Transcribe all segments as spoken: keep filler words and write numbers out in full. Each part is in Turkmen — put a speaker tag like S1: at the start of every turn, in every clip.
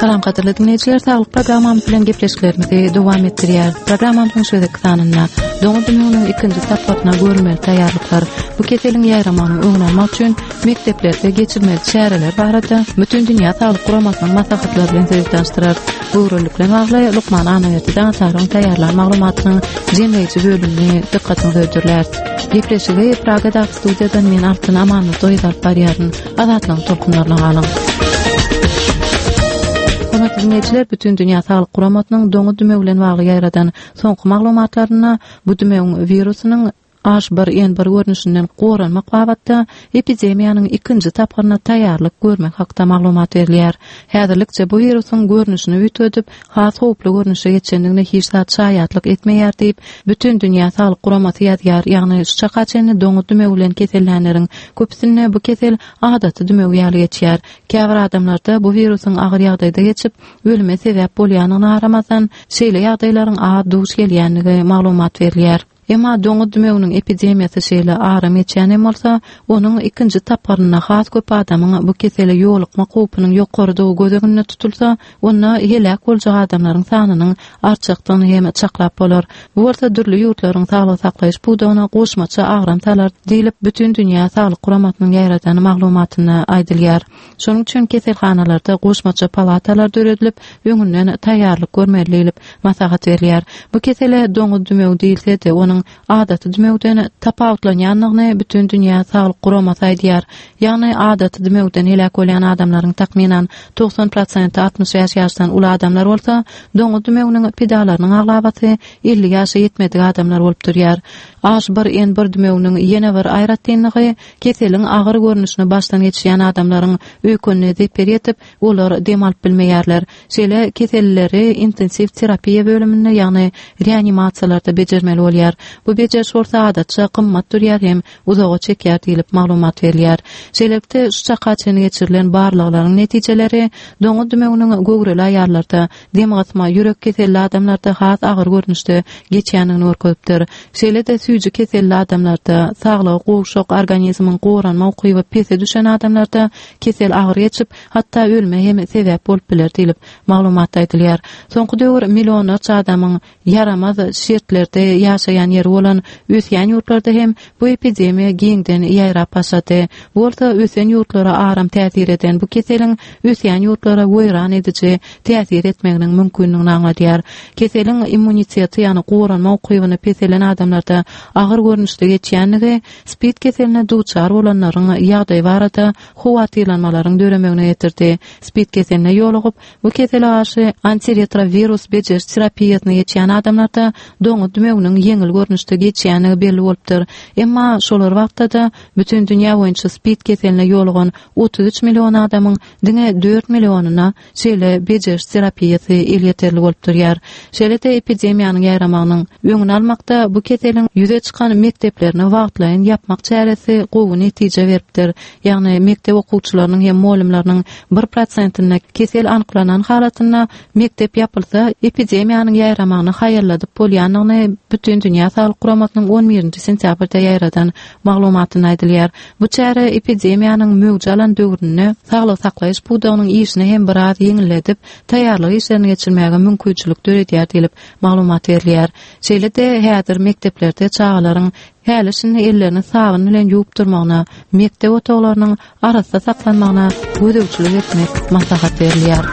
S1: Salam gadyrly dinleýjiler, saglyk programmamyz bilen gepleşiklerimizi dowam etdirýäris. Programmamyzyň şu gezekki sanynda doňuz dümewiniň ikinji tapgyryna görülmeli taýýarlyklar, bu keseliň ýaýramagynyň öňüni almak üçin mekdeplerde geçirilmeli çäreler barada Bütindünýä Saglyk Guramasynyň maslahatlary bilen sizi tanyşdyrarys. Göwrelilik bilen bagly lukman Annaberdi Daňataryň taýýarlan maglumatynyň jemleýji bölümini dykgatyňyza hödürläris. Gepleşigi Pragadaky studiýadan men Altyn Amanmyradowa alyp barýaryn. Azatlygyň tolkunlaryna galyň. Hormatly dinleýjiler, Bütindünýä Saglyk Guramasynyň doňuz dümewi bilen bagly ýaýradan soňky maglumatlarynda bu dümewiň wirusynyň H bir N bir görnüşinden goranmak babatda epidemiýanyň ikinji tapgyryna taýýarlyk görmek hakda maglumat berilýär. Häzirlikçe bu wirusyň görnüşini üýtgedip, has howply görnüşe geçendigine hiç zat şaýatlyk etmeýär diýip, Bütindünýä Saglyk Guramasy ýazýar, ýagny şu çaka çenli doňuz dümewi bilen kesellänleriň köpüsinde bu kesel adaty dümew ýaly geçýär. Käbir adamlarda bu wirusyň agyr ýagdaýda geçip, ölüme sebäp bolýandygyna garamazdan, şeýle ýagdaýlaryň az duş gelýändigi maglumat berilýär. Emma doňuz dümewiniň epidemiýasy şeýle aram geçýän hem bolsa, onuň ikinji tapgyrynda has köp adamyň bu kesele ýolukmak howpunyň ýokarydygy göz öňünde tutulsa, onda heläk boljak adamlaryň sanynyň artjakdygyny hem çaklap bolar. Bu bolsa dürli ýurtlaryň saglygy saklaýyş pudagyna goşmaça agram salar diýlip, Bütindünýä Saglyk Guramasynyň ýaýradan maglumatynda aýdylýar. Şonuň üçin keselhanalarda goşmaça palatalar döredilip, öňünden taýýarlyk görmeli diýlip, maslahat berilýär. Bu kesele doňuz dümewi diýilse-de, onuň adaty dümewden tapawutlanýandygyny Bütindünýä Saglyk Guramasy aýdýar. Ýagny adaty dümewden heläk bolýan adamlaryň takmynan togsan prosenti altmyş bäş ýaşdan uly adamlar bolsa, doňuz dümewiniň pidalarynyň aglabasy elli ýaşa ýetmedik adamlar bolup durýar. H bir N bir dümewiniň ýene bir aýratynlygy keseliň agyr görnüşini başdan geçirýän adamlaryň öýkenine zeper ýetip, olar dem alyp bilmeýärler. Şeýle kesellileri intensiw terapiýa bölüminde, ýagny reanimasiýalarda bejermeli bolýar. Bu bejeriş bolsa adatça gymmat durýar hem uzaga çekýär diýlip maglumat berilýär. Şeýlelikde, şu çaka çenli geçirilen barlaglaryň netijeleri doňuz dümewiniň göwreli aýallarda, dem gysma, ýürek keselli adamlarda has agyr görnüşde geçýändigini görkezipdir. Şeýle-de süýji keselli adamlarda, saglygy gowşak, organizmiň goranma ukyby pese düşen adamlarda kesel agyr geçip, hatda ölüme hem sebäp bolup biler diýlip, maglumatda aýdylýar. Soňky döwür millionlarça adamyň ýaramaz şertlerde ýaşaýan ýeri bolan ösýän ýurtlarda hem bu epidemiýa giňden ýaýrap başlady. Bu bolsa ösen ýurtlara aram täsir eden bu keseliň ösýän ýurtlara weýran ediji täsir etmeginiň mümkindigini aňladýar. Keseliň immuniteti, ýagny goranma ukybyny peselen adamlarda agyr görnüşde geçýändigi SPID keseline duçar bolanlaryň ýagdaýy barada howatyrlanmalaryň döremegine getirdi. SPID keseline ýolugyp, bu kesele garşy antiretrowirus bejeriş terapiýasyny geçýän adamlarda doňuz dümewiniň ýeňil görnüşde geçýändigi belli bolupdyr. Emma şolar wagtda-da bütin dünýä boýunça SPID keseline ýolugan otuz üç million adamyň diňe dört millionyna şeýle bejeriş terapiýasy elýeterli bolup durýar. Şeýle-de epidemiýanyň ýaýramagynyň öňüni almakda bu keseliň ýüze çykan mekdeplerini wagtlaýyn ýapmak çäresi gowy netije beripdir. Ýagny mekdep okuwçylarynyň hem mugallymlarynyň bir prosentinde kesel anyklanan halatynda mekdep ýapylsa, epidemiýanyň ýaýramagyny haýalladyp bolýandygyny Bütindünýä Saglyk Guramasynyň on birinji sentýabrda ýaýradan maglumatynda aýdylýar. Bu çäre epidemiýanyň möwç alan döwründe saglygy saklaýyş pudagynyň işini hem biraz ýeňilledip, taýýarlyk işlerini geçirmäge mümkinçilik döredýär diýlip, maglumat berilýär. Şeýle-de, häzir mekdeplerde çagalaryň häli-şindi ellerini sabyn bilen ýuwup durmagyna, mekdep otaglarynyň arassa saklanmagyna gözegçilik etmek maslahat berilýär.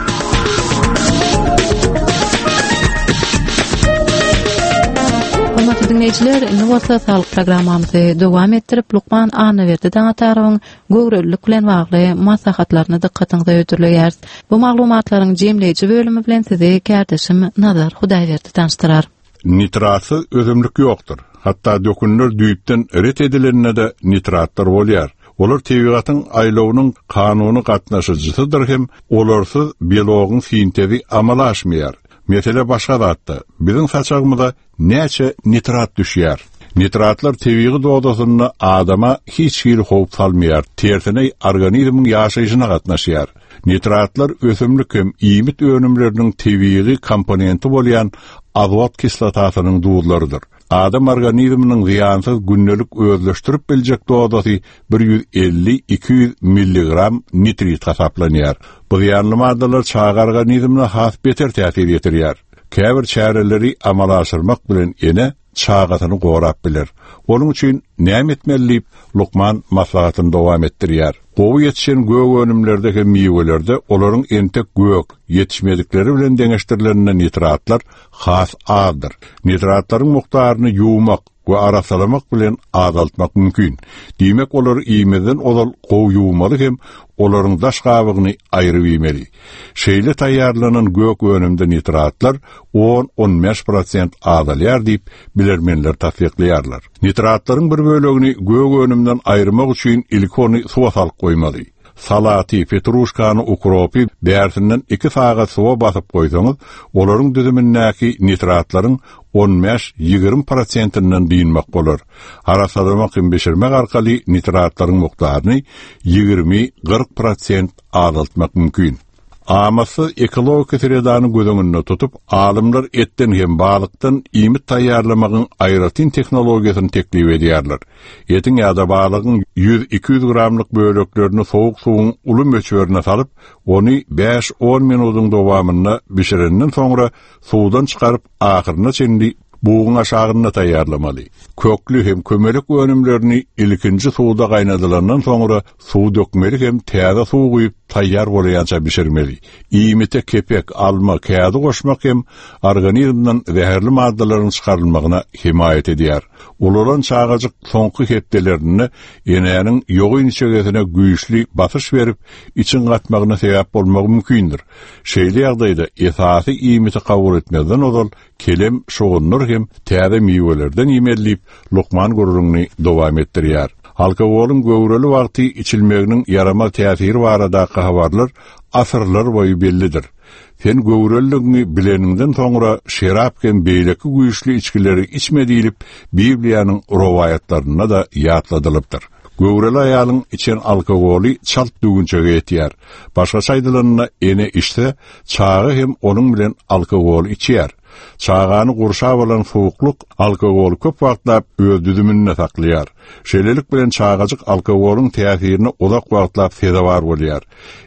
S1: Hormatly diňleýjiler, indi bolsa saglyk programmamyzy dowam etdirip, lukman Annaberdi Daňatarowyň göwrelilik bilen bagly maslahatlaryny dykgatyňyza hödürleýäris. Bu maglumatlaryň jemleýji bölümi bilen sizi kärdeşim Nazar Hudaýberdi tanyşdyrar.
S2: Nitratsyz ösümlik ýokdur. Hatda dökünler düýpden ret edilende-de nitratlar bolýar. Olar tebigatyň aýlawynyň kanuny gatnaşyjysydyr hem olarsyz belogyň sintezi amala aşmaýar. Mesele başga zatda. Biziň saçagymyza näçe nitrat düşýär? Nitratlar tebigy dozasynda adama hiç hili howp salmaýar, tersine organizmiň ýaşaýşyna gatnaşýar. Nitratlar ösümlik hem iýmit önümleriniň tebigy komponenti bolýan azot kislotasynyň duzlarydyr. Adam organizminiň zyýansyz gündelik özleşdirip biljek dozasy bir ýüz elli iki ýüz milligram nitrit hasaplanýar. Bu zyýanly maddalar çaga organizmine has beter täsir ýetirýär. Käbir çäreleri amala aşyrmak bilen ene çagasyny gorap biler. Onuň üçin näme etmeli diýip lukman maslahatyny dowam etdirýär. Gowy ýetişen gök önümlerde hem miwelerde olaryň entek gök ýetişmedikleri bilen deňeşdirileninde nitratlar has azdyr. Nitratlaryň mukdaryny ýuwmak we arassalamak bilen azaltmak mümkin. Diýmek olary iýmezden ozal gowy ýuwmaly hem olaryň daş gabygyny aýryp iýmeli. Şeýle taýýarlanan gök önümde nitratlar on on bäş prosent azalýar diýip bilermenler tassyklaýarlar. Nitratlaryň bir bölegini gök önümden aýyrmak üçin ilki ony suwa salyp goýmaly. Salaty, petruşkany, ukropy bärsinden iki sagat suwa basyp goýsaňyz, olaryň düzümindäki nitratlaryň on bäş ýigrimi prosentinden dynmak bolar. Arassalamak hem bişirmek arkaly nitratlaryň mukdaryny ýigrimi kyrk prosent azaltmak mümkin. Amatsyz ekologik sredany göz öňünde tutup, alymlar etden hem balykdan iýmit taýýarlamagyň aýratyn tehnologiýasyny teklip edýärler. Etiň ýa-da balygyň ýüz iki ýüz gramlyk böleklerini sowuk suwuň uly möçberine salyp, ony bäş on minutyň dowamynda bişirenden soňra suwdan çykaryp ahyryna çenli buguň aşagynda taýýarlamaly. Kökli hem kömelek önümlerini ilkinji suwda gaýnadylandan soňra suw dökmeli hem täze suw guýup taýýar bolýança bişirmeli. Iýmite kepek, alma, kädi goşmak hem organizmden zäherli maddalaryň çykarylmagyna hemaýat edýär. Ulalan çagajyk soňky hepdelerinde enäniň ýogyn içegesine güýçli basyş berip, içiň gatmagyna sebäp bolmagy mümkindir. Şeýle ýagdaýda esasy iýmiti kabul etmezden ozal kelem, şogunlar hem täze miwelerden iýmeli diýip lukman gürrüňini dowam etdirýär. Alkogolyň göwreli wagty içilmeginiň ýaramaz täsiri baradaky habarlar asyrlar boýy bellidir. Sen göwreliligini bileniňden soňra şerap hem beýleki güýçli içgileri içme diýlip Bibliýanyň rowaýatlarynda da ýatladylypdyr. Göwreli aýalyň içen alkogoly çalt düwünçege ýetýär. Başgaça aýdylanda ene içse, çaga hem onuň bilen alkogoly içýär. Çagany gurşap alan soğukluk alkogoly köp wagtlap öz düzüminde saklaýar. Şeýlelik bilen çagajyk alkogolyň täsirine uzak wagtlap sezewar bolýar.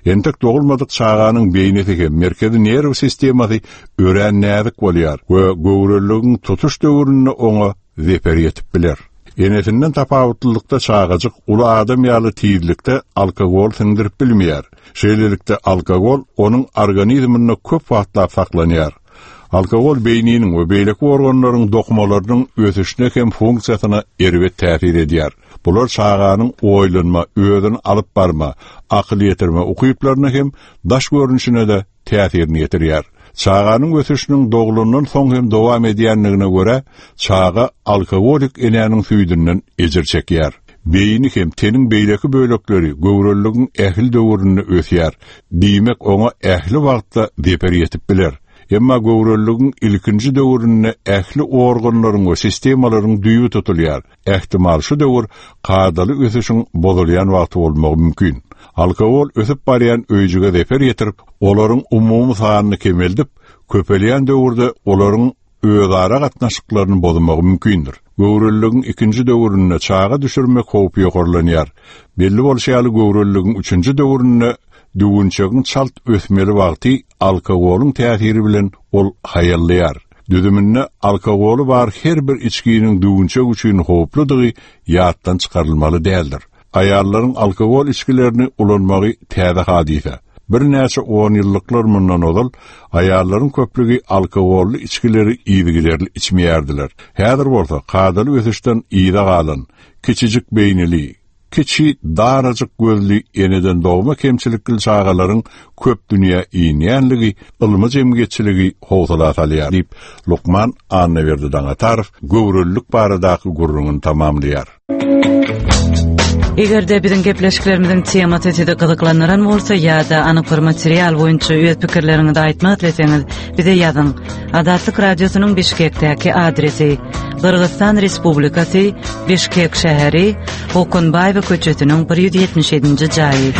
S2: Entek dogulmadyk çaganyň beýnisi hem merkezi nerw sistemasy örän näzik bolýar we göwreliligiň tutuş döwründe oňa zeper ýetip biler. Enesinden tapawutlylykda çagajyk uly adam ýaly tizlikde alkogol siňdirip bilmeýär. Şeýlelikde alkogol onuň organizminde köp wagtlap saklanýar. Alkogol beýniniň we beýleki organlaryň dokumalarynyň ösüşine hem funksiýasyna erbet täsir edýär. Bular çaganyň oýlanma, özüni alyp barma, akyl ýetirme ukyplaryna hem daş görnüşine de täsirini ýetirýär. Çaganyň ösüşiniň doglandan soň hem dowam edýänligine görä, çaga alkogolik enäniň süýdünden ejir çekýär. Beýni hem teniň beýleki bölekleri göwreliligiň ähli döwründe ösýär. Diýmek oňa ähli wagtda zeper ýetip biler. Emma göwreliligiň ilkinji döwründe ähli organlaryň we sistemalaryň düýbi tutulýar. Ähtimal şu döwür kadaly ösüşiň bozulýan wagty bolmagy mümkin. Alkogol ösüp barýan öýjüge zeper ýetirip, olaryň umumy sanyny kemeldip, köpelýän döwürde olaryň özara gatnaşyklaryny bozmagy mümkindir. Göwreliligiň ikinji döwründe çaga düşürmek howpy ýokarlanýar. Belli bolşy ýaly göwreliligiň üçünji döwründe düwünçegiň çalt ösmeli wagty alkogolyň täsiri bilen ol haýallaýar. Düzüminde alkogoly bar her bir içginiň düwünçek üçin howpludygy ýatdan çykarylmaly däldir. Aýallaryň alkogol içgilerini ulanmagy täze hadysa. Birnäçe on ýyllyklar mundan ozal aýallaryň köplügi alkogolly içgileri yzygiderli içmeýärdiler. Häzir bolsa kadaly ösüşden yza galan, kiçijik beýnili, kiçi darajyk gözli eneden dogma kemçilikli çagalaryň köp dünýä inýänligi ylmy jemgyýetçiligi howsala salýar diýip lukman Annaberdi Daňatarow göwrelilik baradaky gürrüňini tamamlaýar.
S3: Eger-de biziň gepleşiklerimiziň temasy sizi gyzyklandyran bolsa ýa-da anyk bir material boýunça öz pikirleriňizi aýtmak isleseňiz, bize ýazyň. Azatlyk Radiosynyň Bişkekdäki adresi: Gyrgyzystan Respublikasy, Bişkek şäheri, Okunbaýewa köçesiniň bir ýüz ýetmiş ýedinji jaýy.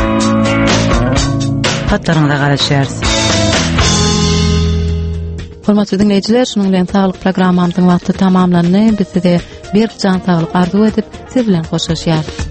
S3: Hatlaryňyza garaşýarys.
S1: Hormatly dinleýjiler, şunuň bilen saglyk programmamyzyň wagty tamamlandy. Biz size berk jan saglyk arzuw edip, siz bilen hoşlaşýarys.